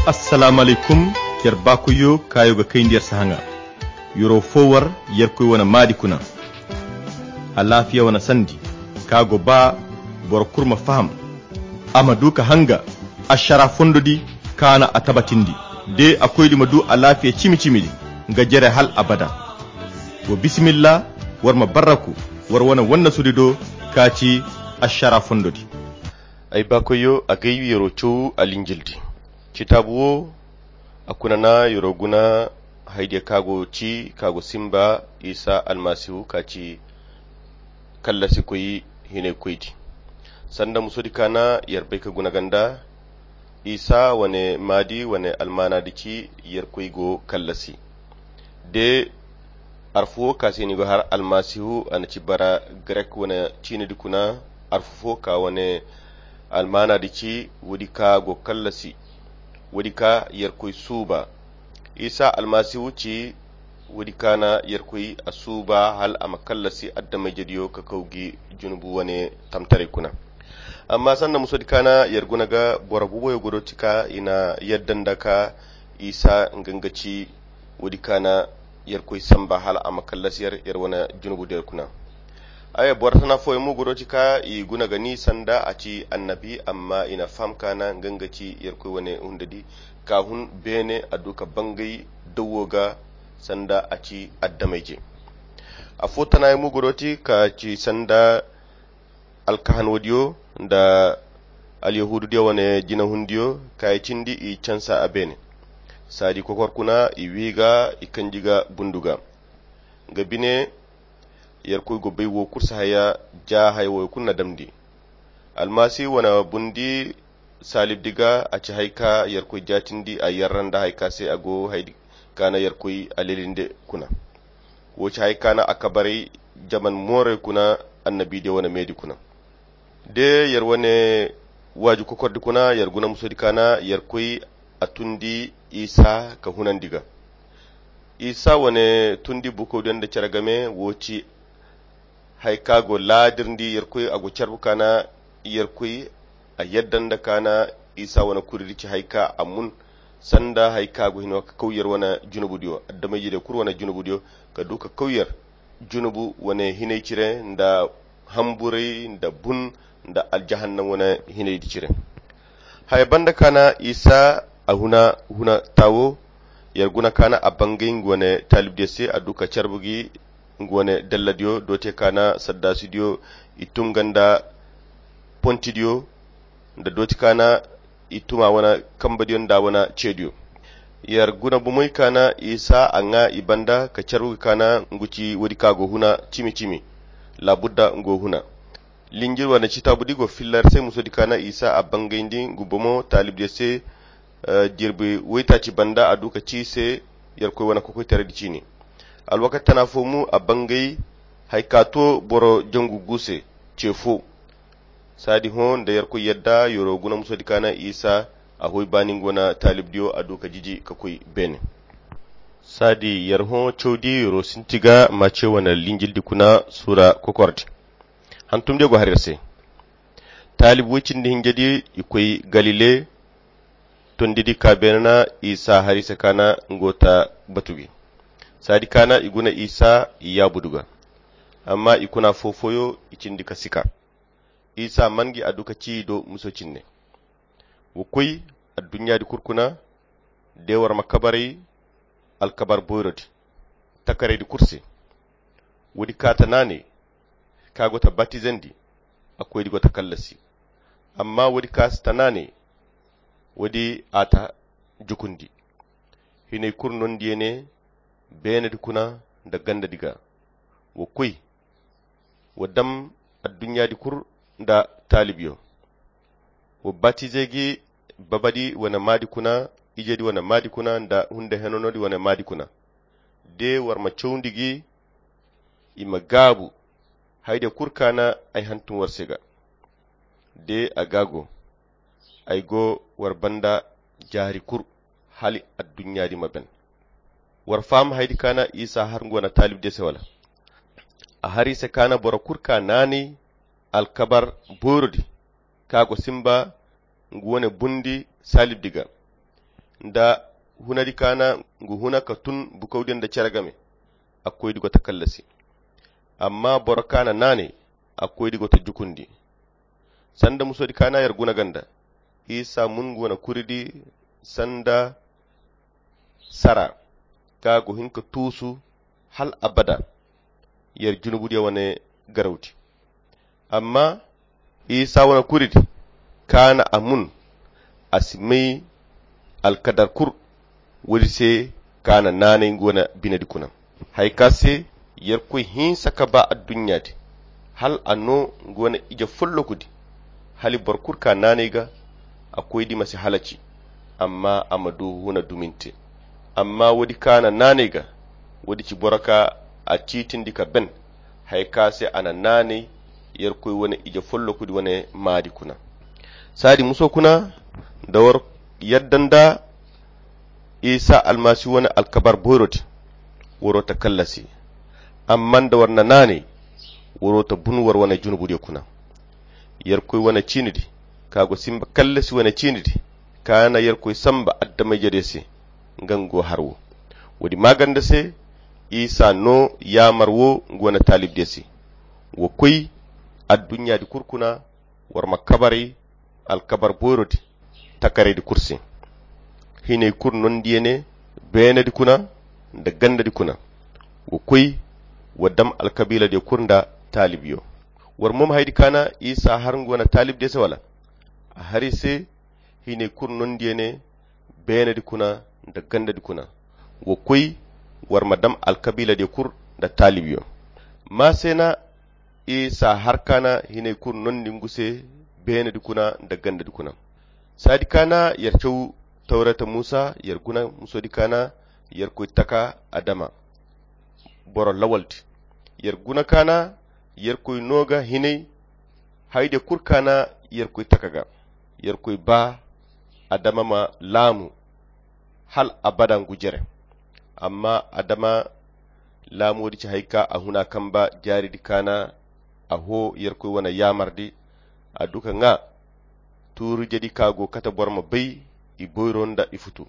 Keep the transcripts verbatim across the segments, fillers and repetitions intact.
Assalaamu alaykum. Yer baakoyyo kaayo ga kayndi yer sahaŋa. Yero fo war yerkoy wane maadi kuna. Alaafiya wane sandi ka go ba boro kulu ma faham. A ma du ka hanga ašara fondo di kaana a tabatindi. De a koydi ma du alaafiya cimi-cimi di nga jere hal abada. Wa bisimilla, war ma barraku war wane wannasudi do ka ci ašara fondo di. Ay baakoyyo, a gay yero caw alinjil di. Citaabu wo a kuna na yero guna haydiya ka go ci ka go simba isa almasihu ka ci kallasikoy hinaykoydi. Sanda musodi ka na yer bay ka guna ganda isa wane maadi wane almaanadi ci yerkoy go kallasi. De arfu wo ka se ni go har almasihu a na ci bara grek wane ciinidi kuna. Arfu fo ka wane almaanadi ci woodi ka go kallasi woodi ka yerkoy suuba. Isa almasihu ci woodi ka na yerkoy a suuba hal a ma kallasi addamayjediyo ka kaw gi junubu wane tamtaray kuna. Amma sanda musodi ka na yer guna ga boro buboyo godo ti ka i na yadda nda ka isa nga nga ci woodi ka na yerkoy samba hal a ma kallasi yer yer wane junubu der kuna. Ay boro tana fooyaŋ mo godo ti ka i guna ga ni sanda a ci annabi amma i na faham ka na nga nga ci yerkoy wane hundadi ka hun beene a du ka bangay dawo ga sanda a ci addamayje. Afo tana yaŋ mo godo ti ka ci sanda alkahanodiyo nda alyahududiyo wane jinahundiyo ka i cindi i cansa a beene. Saadi kokor kuna i wi ga i kanji ga bundu ga nga bine. Yerkoy go bay wo kulu si haya ja haya wo kulu na damndi almasi wane bundi saalibdi ga a ci hay ka yerkoy jaatindi a yerra nda hay ka se a go hay ka na yerkoy a lelinde kuna. Wo ci hay ka na a kabaray jaman mooray kuna annabidiyo wane meedi kuna. De yer wane waaju kokordi kuna yer guna musodi ka na yerkoy a tundi isa ka hunandi ga. Isa wane tundi bukawdiyo nda cere game wo ci hay ka go laadirndi yerkoy a go carbu ka na yerkoy a yadda nda ka na isa wane kuridi ci hay ka a mun sanda hay ka go hino ka kaw yer wane junubudiyo addamayjediyo kulu wane junubudiyo ka du ka kaw yer junubu wane hinay cire nda hamburay nda bun nda aljahannam wane hinaydi cire. Haya banda ka na isa a huna huna tawo yer guna ka na a bangay nga wane taalibdiyo se a du ka carbu gi nga wane dalladiyo doote ka na saddaasidiyo i tun ga nda pontidiyo nda dooti ka na i tuma wane kambadiyo nda wane ceediyo. Yer guna bumoy ka na isa a ŋa i banda ka carbu ga ka na ngu ci woodi ka go huna cimi-cimi. Laabudda ngu go huna linjir wane citaabu di go filla yer se musodi ka na isa a bangayndi ngu bomo taalibdiyo se. Jirbi woytaaci banda a du ka ci i se yerkoy wane kokoytaraydi ciini. Alwakati tana fo mo a bangay hay ka to boro jangu gu se ce fo. Saadi hõ nda yerkoy yadda yero guna musodi ka na isa a hoy baani nga wane taalibdiyo a du ka jiji ka koy beene. Saadi yer hõ cawdi yero sinti ga mace wane linjildi kuna suura kokordi. Hantumdiyo go har yer se. Taalib woy cindi hinjedi i koy galile. Tondidi ka beene na isa hari se ka na nga wo ta batu gi. Saadi ka na i guna isa i yaabudu ga. Amma i kuna foo-fooyo i cindi ka sika. Isa man gi a du ka ci i do muso cinne. Wa koy adduɲɲaadi kul kuna de war ma kabaray alkabar boyrodi takaraydi kul se. Woodi ka ta naanay ka go ta batizandi a koydi go ta kallasi. Amma woodi ka si ta naanay woodi a ta jukundi. Hinay kul nondiyey ne beenedi kuna nda gandadi ga. Wa koy wa dam adduɲɲaadi kul nda taalibyo. Wa batizey gi babadi wane maadi kuna ijedi wane maadi kuna nda hunde henonodi wane maadi kuna. De war ma cawndi gi i ma gaabu. Haydiyo kul ka na ay hantum war se ga de a ga go. Ay go war banda jaari kul hala adduɲɲaadi ma ben. War faham haydi ka na isa har nga wane taalibdiyo se wala? A har i se ka na boro kul ka naanay alkabar boyrodi ka go simba nga wane bundi saalibdi ga. nda hunadi kaana ngu huna ka tun bukawdiyo nda cere game. A koydi go ta kallasi. Amma boro kaana naanay a koydi go ta jukundi. Sanda musodi kaana yer guna ganda isa mun ngu wane kuridi sanda sara ka go hin ka tuusu hal abada. Yer junubudiyo wane garawdi. Amma isa wane kuridi kaana a mun a si may alkadar kur. Woodi se kaana naanay ngu wane binedi kuna. Haya ka se yerkoy hinsa ka ba adduɲɲa di hal a no ngu wane ije follokudi. Hali boro kul ka naanay ga a koydi ma si halaci amma a ma du huna duminte. Amma woodi kaana naanay ga woodi ci boro ka a ciitindi ka ben. Haya ka se a na naanay yerkoy wane ije follokudi wane maadi kuna. Saadi muso kuna nda war yadda nda isa almasihu wane alkabar boyro din. Waro ta kallasi amma nda war na naanay waro ta bun war wane junubudiyo kuna. Yerkoy wane ciinidi ka go simba kallasi wane ciinidi ka na yerkoy samba adama-ijediyo se. Nga ngu go har wo woodi maaganda se isa no yaamar wo ngu wane taalibdiyo se. Wa koy adduɲɲaadi kul kuna war ma kabaray alkabar boyrodi takaraydi kul se. Hinay kul nondiyo ne beenedi kuna nda gandadi kuna. Wa koy wa dam alkabiiladiyo kul nda taalibyo. War mo ma haydi kaana isa har ngu wane taalibdiyo se wala? A har i se. Hinay kul nondiyo ne beenadi kuna nda gandadi kuna. Wa koy war ma dam alkabiiladiyo kul nda taalibyo. Maa se na isa har kaana hinay kul nondi ngu se beenadi kuna nda gandadi kuna. Saadi kaana yer caw tawreta muusa yer guna musodi kaana yerkoy taka adama boro lawaldi. Yer guna kaana yerkoy no ga hinay haydiyo kul kaana yerkoy taka ga. Yerkoy ba adama ma laamu hal abada ngu jere. Amma adama laamuwo di ci hay ka a huna kamba jaaridi kaana a hoo yerkoy wane yaamardi. A du ka ŋaa tuuru jedi ka go kate boro ma bay i boyro nda i futu.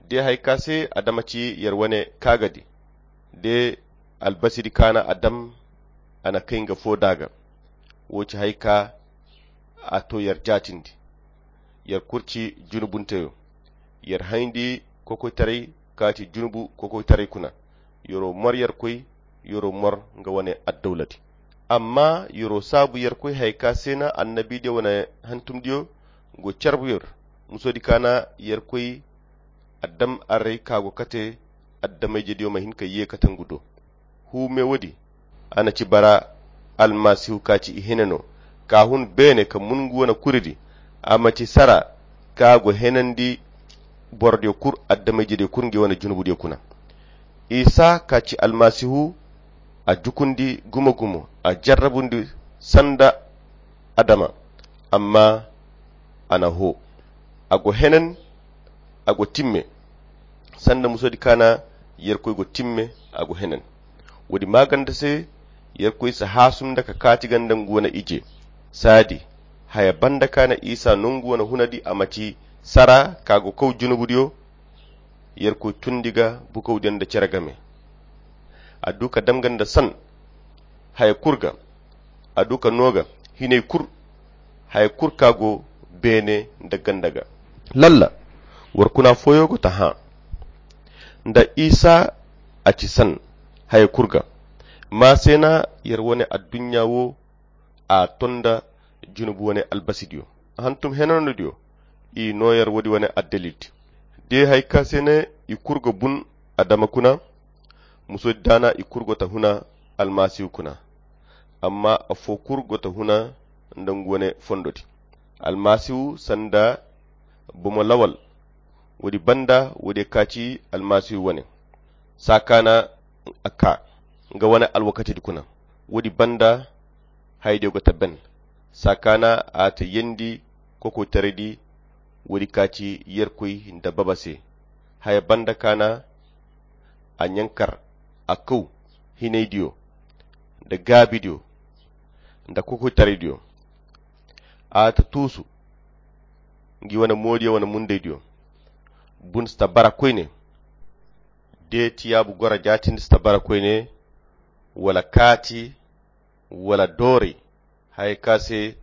De hay ka se adama ci yer wane kaagadi de albasidi kaana a dam a na kay nga foo daaga. Woo ci hay ka a to yer jaatindi. Yer kul ci junubunteyo. Yer hayndi kokoytaray ka ci junubu kokoytaray kuna. Yeroo mor yerkoy yeroo mor nga wane addawladi. Amma yeroo saabu yerkoy hay ka se na annabidiyo wane hantumdiyo go carbu yer musodi kaana yerkoy a dam array ka go kate adama-ijediyo ma hin ka yee kate ngu do. Huume woodi a na ci bara almasihu ka ci i hene no ka hun beene ka mun ngu wane kuridi. A ma ci sara ka go henandi borodiyo kul adama-ijediyo kul ngi wane junubudiyo kuna. Isa ka ci almasihu a jukundi gumo-gumo a jarrabundi sanda adama. Amma a na hoo a go henen a go timme sanda musodi kaana yerkoy go timme a go henen. Woodi maaganda se yerkoy si haasum nda ka kaati ganda ngu wane ije. Saadi haya banda kaana isa nongu wane hunadi a ma ci sara ka go kaw junubudiyo. Yerkoy tundi ga bukawdiyo nda cere game. A du ka dam ganda san haya kul ga. A du ka no ga hinay kul haya kul ka go beene nda ganda ga. Lalla war kuna fooyo go ta hã nda isa a ci san haya kul ga. Maa se na yer wane adduɲɲa wo a to nda junubu wane albasidiyo hantum henanodiyo. I no yer woodi wane addalildi de hay ka se ne i kul ga bun adama kuna. Musodi daana i kul go ta huna almasihu kuna. Amma affoo kul go ta huna nda ngu wane fondodi. Almasihu sanda bomo lawal. Woodi banda woodiyo ka ci almasihu wane saa kaana a ka nga wane alwakatidi kuna. Woodi banda hayadiyo go ta ben saa kaana a ta yendi kokoytaraydi. Woodi ka ci yerkoy nda baba se haya banda kaana a ɲankar a kaw hinaydiyo nda gaabidiyo nda kokoytaraydiyo. A ta tuusu ngi wane moodiyo wane mundaydiyo. Bun si ta bara koyne, de tiyaabu gora jaatindi si ta bara koyne, wala kaati, wala doori, haya ka se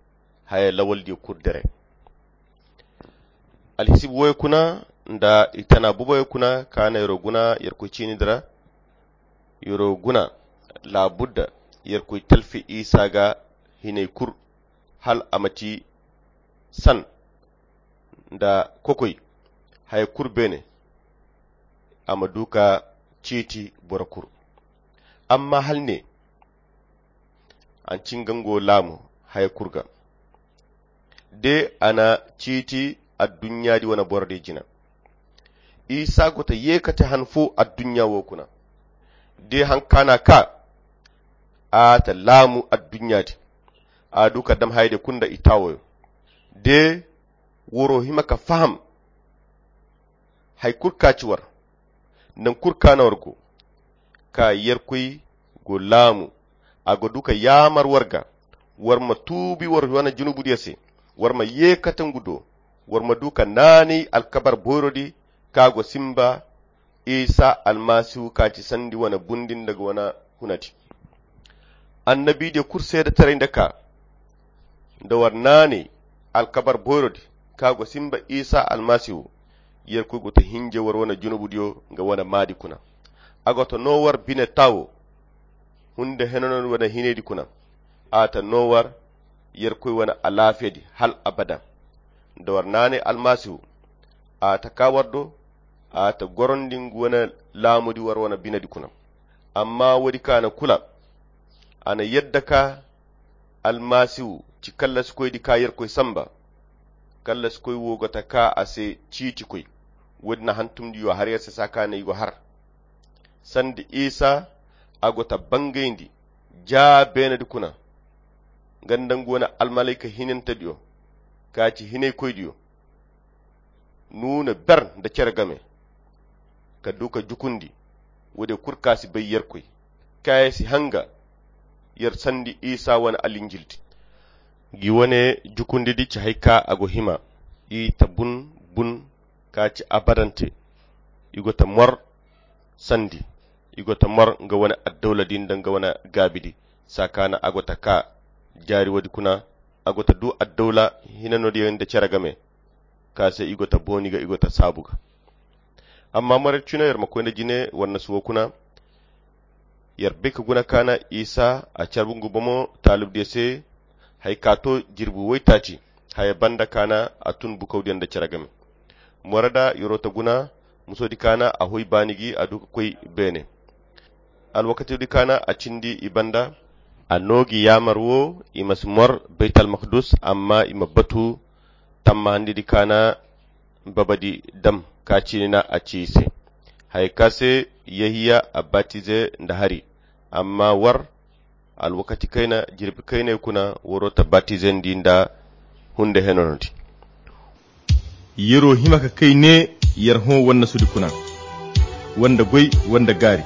haya lawaldiyo kul dere. Alhisibu woyo kuna nda i tana buboyo kuna ka na yaro guna yarkoy ciini dira. Yaro guna laabudda yarkoy talfi isa ga hinay kul, hal a ma ti san nda kokoy haya kul beene, a ma du ka ciiti boro kul. Amma hal ne a na cingango laamu haya kul ga, de a na ciiti adduɲɲaadi wane borodiyo jina. Isa go ta yeekate han fo adduɲɲa wo kuna, de han ka na ka a ta laamu adduɲɲaadi, a du ka dam hayadiyo kul nda i taawoyo. De woro hima ka faham hay kul ka ci war, nan kul ka na war go, ka yerkoy go laamu. A go du ka yaamar war ga, war ma tuubi war wane junubudiyo se, war ma yeekate ngu do, war ma du ka naanay alkabar boyrodi ka go simba isa almasihu ka ci sandi wane bundi nda ga wane hunadi. Annabidiyo kul seedetaray nda ka nda war naanay alkabar boyrodi ka go simba isa almasihu. Yerkoy go ta hinje war wane junubudiyo nga wane maadi kuna. A go ta noo war bine taawo hunde henanoo wane hinaydi kuna. A ta noo war yerkoy wane alaafiyadi hal abada. Nda war naanay almasihu a ta ka war do, a ta gorondi ngu wane laamudi war wane binedi kuna. Amma woodi ka na kula a na yadda ka almasihu ci kallasikoydi ka yerkoy samba. Kallasikoy wo go ta ka a se ciitikoy. Woodi na hantumdiyo har yer se saa ka na i go har sandi isa a go ta bangayndi ja beenedi kuna. Nga nda ngu wane almalayka hinantediyo ka ci hinaykoydiyo nuuna ber nda cere game ka du ka jukundi woodiyo kul ka si bay yerkoy kaaya si hanga yer sandi isa wane alinjildi. Gi wane jukundidi ci hay ka a go hima i ta bun bun ka ci abadante. I go ta mor sandi i go ta mor nga wane addawladi nda nga wane gaabidi. Saa ka na a go ta ka jaari woodi kuna a go ta du addawla hinanodiyo nda cere game ka se i go ta booni ga i go ta saabu ga. Amma moray cine yer ma koy nda jine war nasu wo kuna. Yer bay ka guna ka na isa a carbu ngu bomo taalibdiyo se hay ka to jirbi woytaaci haya banda ka na a tun bukawdiyo nda cere game. Mora da yeroo ta guna musoodi ka na a hoy baani gi a du ka koy beene. Alwakatidi ka na a cindi i banda a noo gi yaamar wo i ma si mor baytalmakdus amma i ma batu tammahandidi ka na babadi dam ka ciini na a ci i se. Haya ka se yehiya a batize nda hari. Amma war alwakati kayna jirbi kaynay kuna waroo ta batizandi nda hunde henonodi. Yeroo hima ka kay ne yer hõ wannasudi kuna wanda goy wanda gaari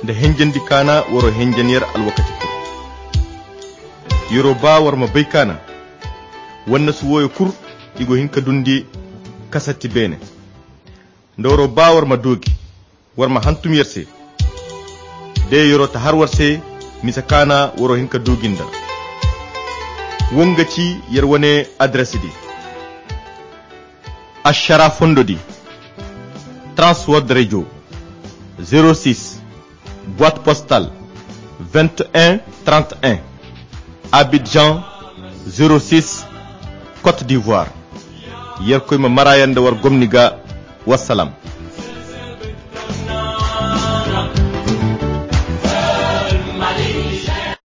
nda henjandi kaana waroo henjan yer alwakati kul. Yeroo baa war ma bay kaana wannasu wooyo kul i go hin ka dundi kasatti beene. Nda waroo baa war ma doogi war ma hantum yer se. De yeroo ta har war se misa kaana waroo hin ka doogi nda. Woo nga ci yer wane adres di. Ašara fondo di transword radio, zero six boite postale vingt et un trente et un, abidjan zero six, côte d'ivoire. Yerkoy ma mara yer nda war gomni ga. Wassalam.